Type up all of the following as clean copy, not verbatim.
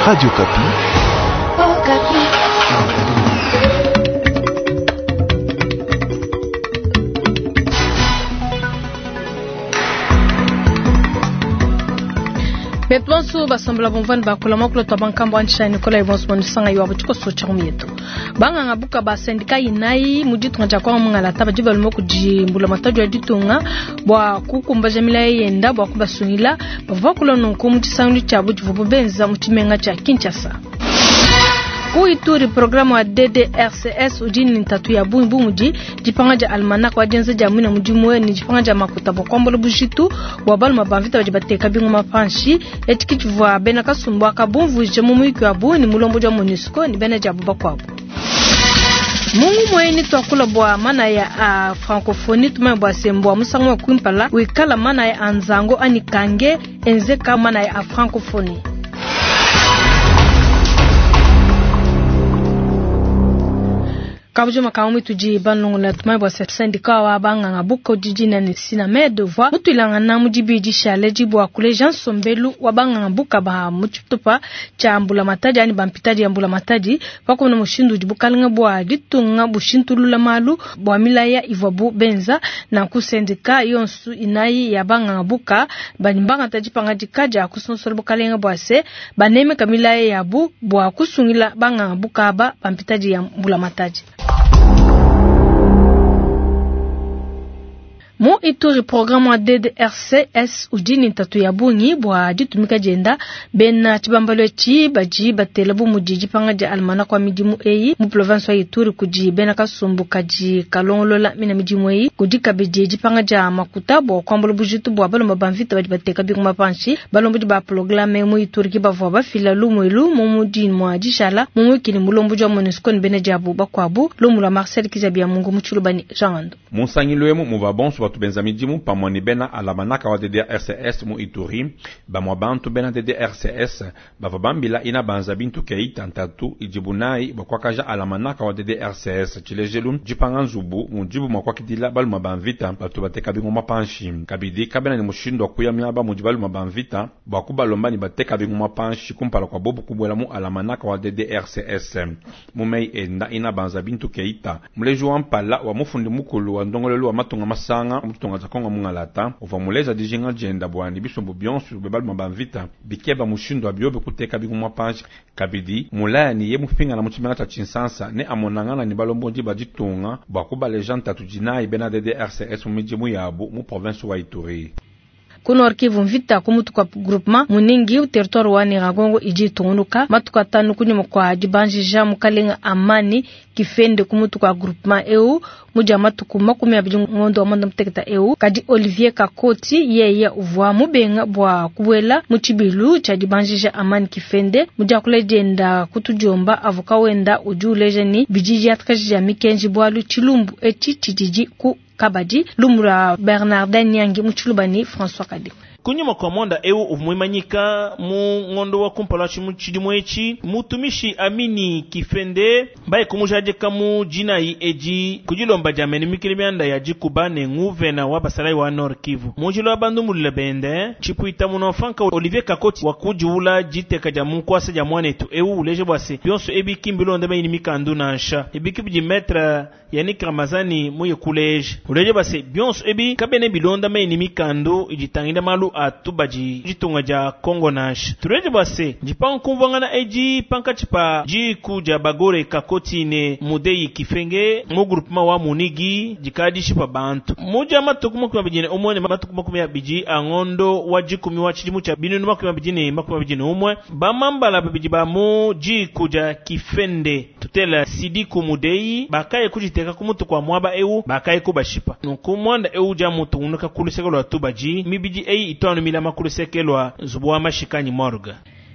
Radio Okapi. Okapi. Betu bonso basombola bumvani bakula makula twa bankambo antsha Nicolas Ibonso bonusanga yiwabo tshikoso tsha mietu. Banganga buka ba syndicat inayi mu ditunga dia kwa mungalata badi balume kudi mbulamatadi wa ditunga bua kukumbaja milayi yenda bua kubasungila bavua bakula nunku mu tshisangilu tshiabu tshivuabu benza mu tshimenga tshia Kinshasa. Ku Ituri, programme wa DDRCS udi ne ntatu ya bungi bu mudi dipanga dia almanach wa dienza dia muina mudimu ne dipanga dia makuta bua kuambula bujitu bua baluma ba mvita badi bateka bingoma panshi. Etshi ke tshivua bena kasumbu aka bumvuije mu muyuki wabu ne mulombodi wa MONUSCO ne bena diabu bakuabu. Mungu mueni tuakula bua manaya a francophonie tumanye bua se mbua musangu wa kumpala wikala manaya a nzango anyi kange enzeka manaya a francophonie. Kabujuma ka tudi banlongola tumanye bua se syndicat wa banganga buka didina ne Synamed uvua mutuilangana mu dibidi dishale bua kuleja nsombelu wa banganga buka ba mu tshitupa tshia mbulamatadi anyi bampitadi ya mbulamatadi pakumona mushindu udi bukalenga bua ditunga bushintulula malu bua milaya ivuabu benza nanku syndicat yonso inayi ya banganga buka badi bangata dipangadika dia kusonsola bukalenga bua se banemeka milaya yabu bua kusungila banganga buka aba bampitadi ya mbulamatadi. Mu Ituri programme wa DDRCS udi ne ntatu ya bungi bua ditumika dienda bena tshibambalu etshi badi batela bu mudi dipanga dia almanach wa midimu eyi mu province wa Ituri kudi bena kasumbu kadi kalongolola mina midimu eyi kudi kabidi dipanga dia makuta bua kuambula bujitu bua balomba ba mvita badi bateka bingoma panshi balombodi ba programme mu Ituri ke bavua bafila lumu elu mu mudimu dishala mu muyuki ne mulombodi wa MONUSCO ne bena diabu bakuabu lumu lua Marcel Kizabia Mungu mu Tshiluba ne Jean Ando. Mu nsangilu emu muvua bonso batu benza midimu pamue ne bena alamanaka wa DDRCS mu Ituri bamue bantu bena DDRCS bavua bambila ina banza bintu keita ntatu idibu nayi bua kuakaja alamanaka wa DDRCS tshilejelu dipanga nzubu mudibu mua kuakidila baluma ba mvita batu bateka bingoma panshi kabidi kabena ne mushindu wa kuya miaba mudi baluma ba mvita bua kubalomba ne bateka bingoma panshi kumpala kua bobu kubuela mu alamanaka wa DDRCS mu meyi enda ina banza bintu keita muleji wa mpala wa mufundi mukulu wa ndongolelu wa matunga masanga mu ditunga dia Kongo mungalata uvua muleja dijinga dienda bua ne bisumbu bionso bia baluma ba mvita bikeba mushindu wa biobi kuteka bingoma panshi kabidi mulaya ne ye mupingana mu tshimenga tshia Tshinsansa ne amonangana ne balombodi ba ditunga bua kubaleja ntatu dinayi bena DDRCS mu midimu yabu mu province wa Ituri. Ku Nord Kivu mvita ku mutu kwa groupement Munigi territoire wa Nyiragongo idi itungunuka matuku atanu kunyima kua dibanjija mukalenga Amani Kifende ku mutu kwa groupement eu mudia matuku 20 ngondo wa mwanda muteketa eu kadi Olivier Kakoti yeye uvua mubenga bua kubuela mu tshibilu tshia dibanjija Amani Kifende mudia kuledienda kutudiomba avoka wenda udi uleja ni bidi diatakaji dia mikenji bualu tshilumbu etshi tshididi ku kabadi lumu lua Bernardin Nyangi mu Tshiluba ne François Kadi. Kunyima kua mwanda eu uvua muimanyika mu ngondo wa kumpala wa tshidimu etshi mutumishi Amini Kifende baye kumujadika mu dinayi edi kudilomba dia mene mikili mianda ya dikuba ne nguvena wa basalayi wa Nord Kivu munjila wa bandumulula bende tshipuita munofanka Olivier Kakoti wa kudiula diteka dia munkwasa dia mwanetu eu uleje bua se bionso ebi kimbilonda mayini mikandu nansha ebiki bidi maître Yannick Ramazani muye kuleje uleje bua se bionso ebi kabene bilonda mayini mikandu iditangila malu atubadi ditunga dia Kongo nansha tuleje bua se dipanga kumvuangana edi pankatshi pa diku dia bagore Kakoti ne Mudeyi Kifenge mu groupement wa Munigi dikadishi pa bantu muja matuku 21 ne matuku 20 a ngondo wa dikumi wa tshidimu tshia binunu 2021 bamambala babidi ba mu diku dia Kifende tutela Sidiku Mudeyi bakaye kuditeka ku mutu kwa mwaba eu bakaye kubashipa nunku mwanda eu dia mutu unuka kuluseke lwa tubadi mibidi eyi itwanu milama kuluseke lwa nzubu wa mashikanyi morgue.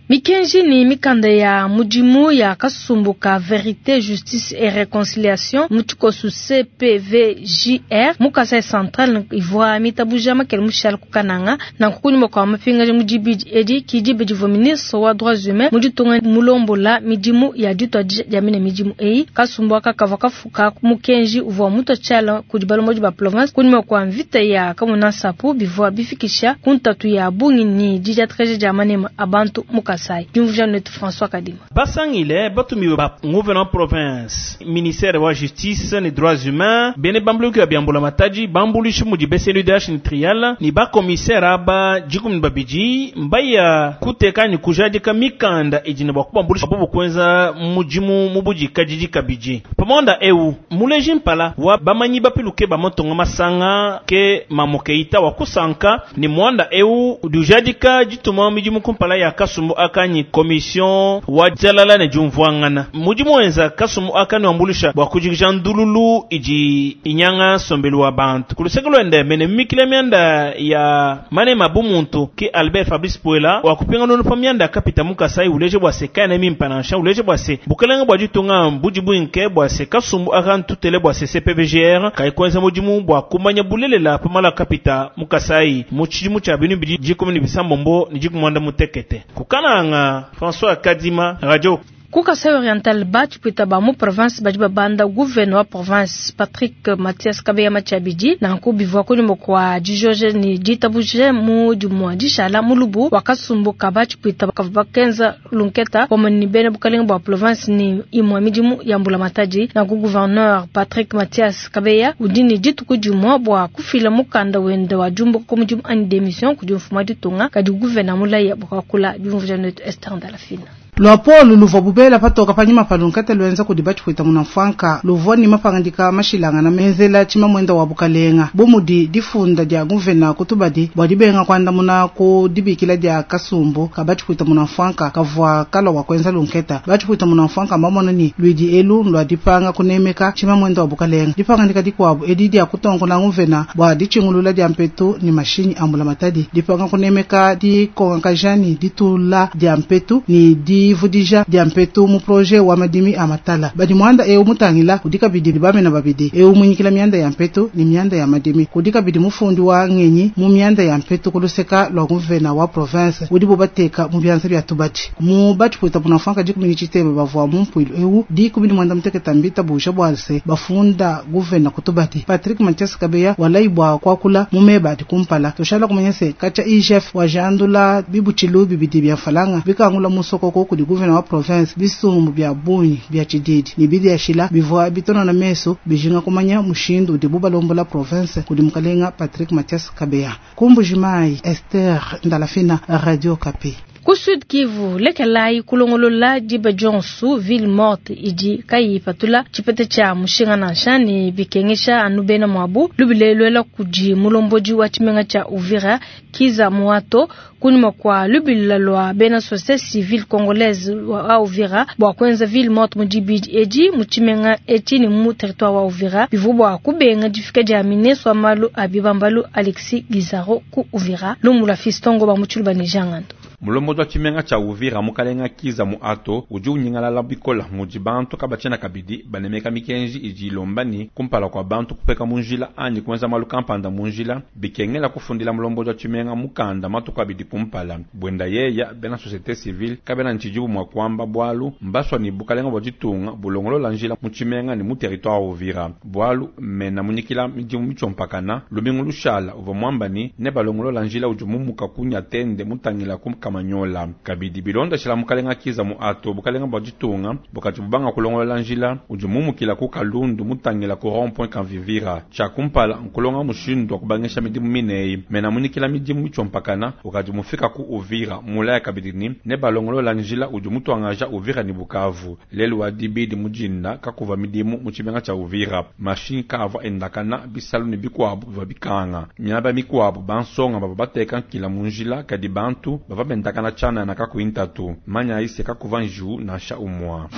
Mikenji ni mikanda ya mudimu ya kasumbu ka Verite, Justice et Reconciliation mu tshikosu CPVJR mu Kasai Central ivua mitabuja makele mushale ku Kananga nanku kunyima kua mapingaja mu dibidi edi kidi divua ministre wa droits humains mu ditunga mulombola midimu ya dituadija dia mine midimu eyi kasumbu aka kavua kafuka mukenji uvua mutua tshiala kudi balombodi ba province kunyima kua mvita ya Kamuna Nsapu bivua bifikisha ku ntatu ya bungi ni didiatakaja dia manema a bantu mu. Kasai. Diumvuija netu François Kadima. Basangile batumiwe ba gouverneur province, ministère wa justice ne droits humains, bene bambuluki ya biambula matadi bambulishi mudi BCNUDH ni trial ni ba commissaire aba 12 mbaya kuteka ni kujadika mikanda idine bwa kubambulisha bobo kwenza mujimu mubudi kadidi kabidi. Pamonda eu muleji mpala wa bamanyi bapiluke ba motonga masanga ke mamokeita wa kusanka ni mwanda eu dujadika jituma mijimu kumpala ya kasumbu akanyi commission wa jalala ne jumvuangana mujimu wenza kasumbu akani wambulisha bwa kujikisha ndululu iji inyanga sombelu wa bantu kuluseke lwende mene mikile myanda ya mane mabumuntu ki Albert Fabrice Puela wa kupinga nono pa myanda kapita mukasai uleje bwa se kana mimpanansha uleje bwa se bukelenge bwa jitunga mbuji bwinke bwa se kasumbu akan tutele bwa se CPVGR kai kwenza mujimu bwa kumanya bulelela pamala kapita mukasai muchijimu cha binu bidi jikumi ni bisambombo ni jikumwanda mutekete kukananga François Kadima Radio Ku Kasai Oriental ba tshipwita ba mu province badi babanda gouverneur wa province Patrick Mathias Kabeya Matshiabidi nanku bivua kunyuma kua dijoje ni ditabuje mu dimua dishala mulubu wa kasumbu ka ba tshipwita kavua bakenza lunketa pamue ni bena bukalenga bua province ni imua midimu ya mbula matadi. Nanku gouverneur Patrick Mathias Kabeya udi ni dituku dimua bua kufila mukanda wende wa diumbuka ku mudimu anyi démission kudi mfumu wa ditunga kadi gouverneur mulaya bua kuakula diumvuija netu Esther Ndalafina. Lwapolo luvua bubela patoka panyima pa lunkete lwenza kudi batshipwita munamfwanka luvua ni mapangandika mashilangana menzela tshimamwenda wa bukalenga bumudi difunda dia guvena kutubadi bua dibenga kuandamuna ku dibikila dia kasumbu ka batshipwita munamfwanka kavua kalua wa kuenza lunketa. Batshipwita munamfwanka mbamona ni lwidi elu lwa dipanga kunemeka tshimamwenda wa bukalenga dipangandika dikuabu edi dia kutonkola guvena bua ditshingulula dia mpetu ni mashinyi ambula matadi dipanga kunemeka dikongakajani ditula dia mpetu ni di vudija dia mpetu mu projet wa madimi a matala badi mwanda eu mutangila kudika bidi bamena babidi eu munyikila mianda ya mpetu ni mianda ya madimi kudika bidi mufundi wa ngenyi mu mianda ya mpetu kuluseka lwa guvena wa province udi bubateka mu byanza bya tubati mu batshipwita munamfwanka dikumi tshitebe bavua mu mpuilu eu dikumi ni mwanda muteketa mbita buja bwalse bafunda guvena kutubati Patrick Mathias Kabeya walai bwa kwakula mu meba adi kumpala toshala kumanyese kacha IGF wa jandula bibuchilu bibidi bya falanga bikangula musokoko kudi guvena wa province bisumbu bya bunyi bya tshididi ni bidi yashila bivua bitona na meso bijinga kumanya mushindu udi bubalombola province kudi mukalenga Patrick Mathias Kabeya. Kumbujimai Esther Ndalafina, Radio Kapi. Ku Sud Kivu lekelai kulongolola diba dionsu ville morte idi kayi patula tshipete tshia mushinga nansha ni bikengesha anu bena muabu lubilelwela kudi mulombodi wa tshimenga tshia Uvira Kiza Muato kunyuma kwa lubila lwa bena société civile congolaise wa Uvira bua kuenza ville morte mu dibidi edi mu tshimenga etshi ni mu territoire wa Uvira bivua bua kubenga difika dia ministre wa malu a bibambalu Alexis Gizaro ku Uvira lumula Fistongo ba mutshulu ne jangando. Mulombodi wa tshimenga tshia Uvira mukalenga Kiza Muato udi unyingalala bikola mudi bantu kabatshena kabidi banemeka mikenji idi ilomba ni kumpala kwa bantu kupeka munjila anyi kuenza malu kampanda munjila bikengela kufundila mulombodi wa tshimenga mukanda matuku abidi kumpala bwenda yeya bena société civile kabena ntshidibu mua kuamba bwalu mbaswa ni bukalenga bua ditunga bulongolola njila mu tshimenga ni mu territoire wa Uvira bwalu mena munyikila midimu mitshiompakana lumingu lushala uvua muamba ni ne balongolola njila udi mumuka kunya tende mutangila kumkama nyola kabidi bilonda shila mukalenga Kiza Muato bukalenga bua ditunga bukati bubanga kulongola njila udi mumukila ku kalundu mutangila ku rond point kanvivira tshia kumpala nkulonga mushindu wa kubangisha midimu mineyi mena munyikila midimu mitshiompakana ukadi mufika ku Uvira mulaya kabidi ni ne balongolola njila udi mutuangaja Uvira ni Bukavu lelu wa dibidi mujinda kakuva midimu mu tshimenga tshia Uvira mashinyi kaavua endakana bisalu ni bikuabu bivua bikanga miaba mikuabu bansonga bavua bateka nkila mu njila kadi bantu bavua bendakana chana na kakuintatu manya ise kakuva nju nansha umwa.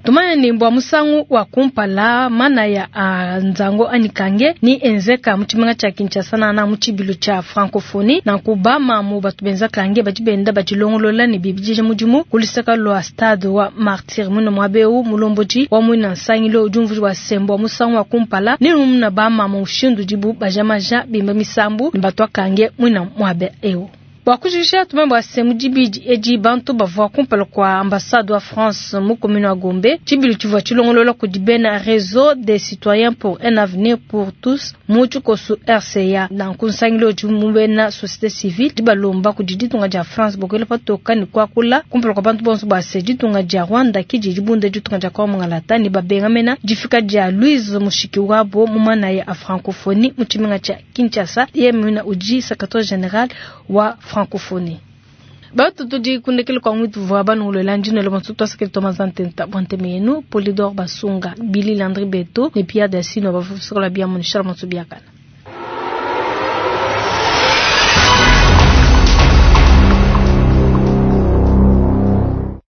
Tumanya ni mbwa musangu wa kumpala mana ya nzango anikange ni enzeka muchimenga cha Kinshasa na muchibilu cha francophonie na kubama mu batu benza kange badi benda bajilongolola ni bibijije mudimu kulisaka lwa stade wa Martyr muno mwabeu mulomboji wa mwina nsangilo ujumvu wa sembo wa musangu wa kumpala ni muna bama mu ushindu dibu bajamaja bimba misambu ni batu kange mwina mwabe eu. Bua kujikija tumanye bua se mu dibidi edi bantu bavua kumpala kua ambassade wa France mu commune wa Gombe. Tshibilu tshivua tshilongolola kudi bena Réseau des citoyens pour un avenir pour tous mu tshikosu RCA. Nanku nsangilu udi mu bena société civile dibalomba kudi ditunga dia France bua kuela patoka ne kuakula kumpala kua bantu bonso bua se ditunga dia Rwanda kidi dibunda ditunga dia Kongo mungalata ne babenga mena difika dia Louise Mushikiwabo mu manaya a francophonie mu tshimenga tshia Kinshasa. Yeye muina udi secrétaire général wa francophonie. Batu tudi kundekele kwa mwitu vwa banungulwela ndino le bonso twasakele Thomas Ntenta bwanteme yenu Polydor Basunga Billy Landry Beto ne Pierre Dassino bafusokola bia munishala monso biakana.